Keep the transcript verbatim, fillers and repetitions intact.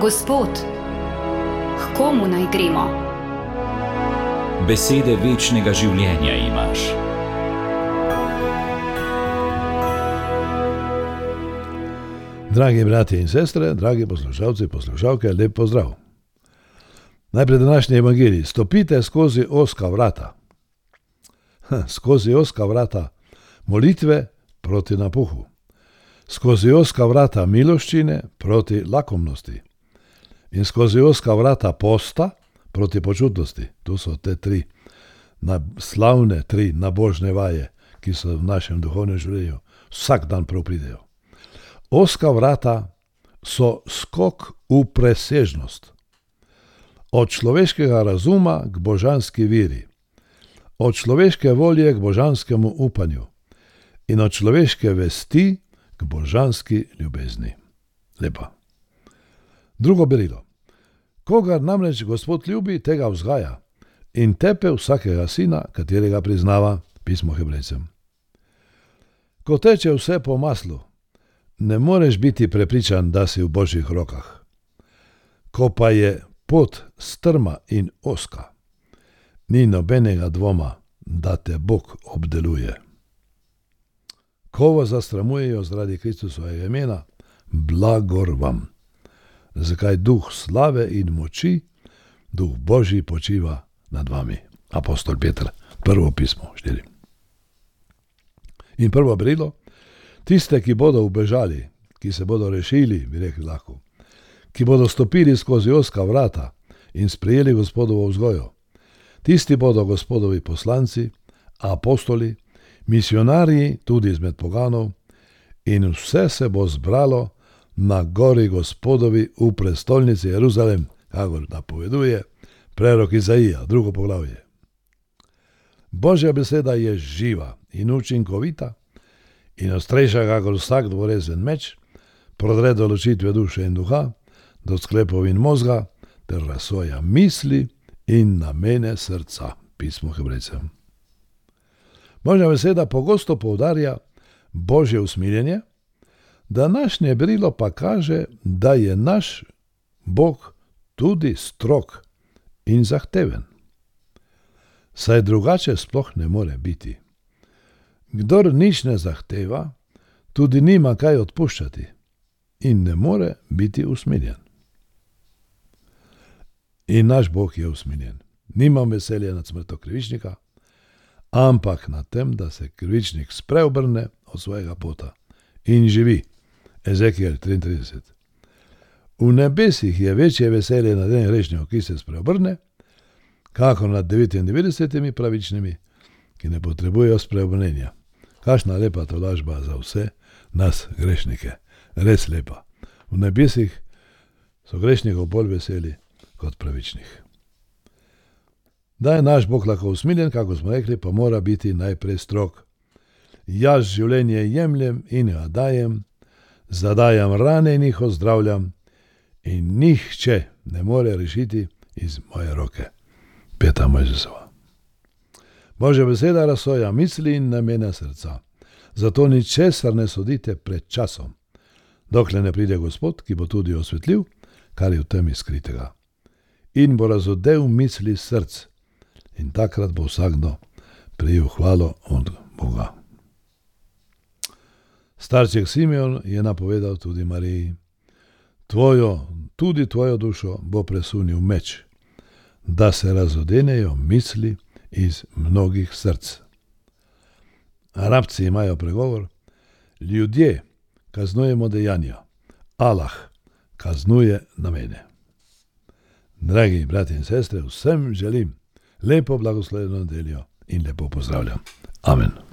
Gospod, k komu naj gremo? Besede večnega življenja imaš. Dragi bratje in sestre, dragi poslušalci, poslušalke, lep pozdrav. Najprej današnji evangelij. Stopite skozi ozka vrata. Ha, skozi ozka vrata molitve proti napuhu. Skozi ozka vrata miloščine proti lakomnosti. In skozi ozka vrata posta proti počutnosti. Tu so te tri slavne, tri nabožne vaje, ki so v našem duhovnem življenju vsak dan prav pridejo. Ozka vrata so skok v presežnost. Od človeškega razuma k božanski veri. Od človeške volje k božanskemu upanju. In od človeške vesti k božanski ljubezni. Lepa. Drugo berilo. Kogar namreč Gospod ljubi, tega vzgaja in tepe vsakega sina, katerega priznava, pismo Hebrejcem. Ko teče vse po maslu, ne moreš biti prepričan, da si v Božjih rokah. Ko pa je pot strma in ozka, ni nobenega dvoma, da te Bog obdeluje. Ko vas zastramujejo zaradi Kristusovega imena, blagor vam. Zakaj duh slave in moči, duh Božji počiva nad vami. Apostol Peter, prvo pismo, štiri. In prvo berilo, tiste, ki bodo ubežali, ki se bodo rešili, bi rekli lahko, ki bodo stopili skozi ozka vrata in sprejeli Gospodovo vzgojo. Tisti bodo Gospodovi poslanci, apostoli, misionarji tudi izmed poganov in vse se bo zbralo na gori Gospodovi v prestolnici Jeruzalem, kakor napoveduje prerok Izaija, drugo poglavje. Božja beseda je živa in učinkovita in ostrejša kakor vsak dvorezen meč, prodre do ločitve duše in duha, do sklepov in mozga, ter razsoja misli in namene srca, pismo Hebrejcem. Božja beseda pogosto poudarja Božje usmiljenje, današnje berilo pa kaže, da je naš Bog tudi strog in zahteven. Saj drugače sploh ne more biti. Kdor nič ne zahteva, tudi nima kaj odpuščati in ne more biti usmiljen. In naš Bog je usmiljen. Nimam veselja nad smrtjo krivičnika, ampak nad tem, da se krivičnik spreobrne od svojega pota in živi. Ezekiel triintrideset. V nebesih je večje veselje nad enim grešnikom, ki se spreobrne, kakor nad devetindevetdesetimi pravičnimi, ki ne potrebujejo spreobrnenja. Kakšna lepa tolažba za vse nas grešnike. Res lepa. V nebesih so grešnikov bolj veseli kot pravičnih. Da je naš Bog lahko usmiljen, kako smo rekli, pa mora biti najprej strog. Jaz življenje jemljem in ga dajem, zadajam rane in jih ozdravljam in nihče ne more rešiti iz moje roke. Peta Mojžesova. Božja beseda razsoja misli in namene srca. Zato ničesar ne sodite pred časom, dokler ne pride Gospod, ki bo tudi osvetlil, kar je v temi skritega. In bo razodel misli src in takrat bo vsakdo prejel hvalo od Boga. Starček Simeon je napovedal tudi Mariji, tvojo, tudi tvojo dušo bo presunil meč, da se razodenejo misli iz mnogih src. Arabci imajo pregovor, ljudje kaznujemo dejanja, Allah kaznuje namene. Dragi brati in sestre, vsem želim lepo blagoslovljeno nedeljo in lepo pozdravljam. Amen.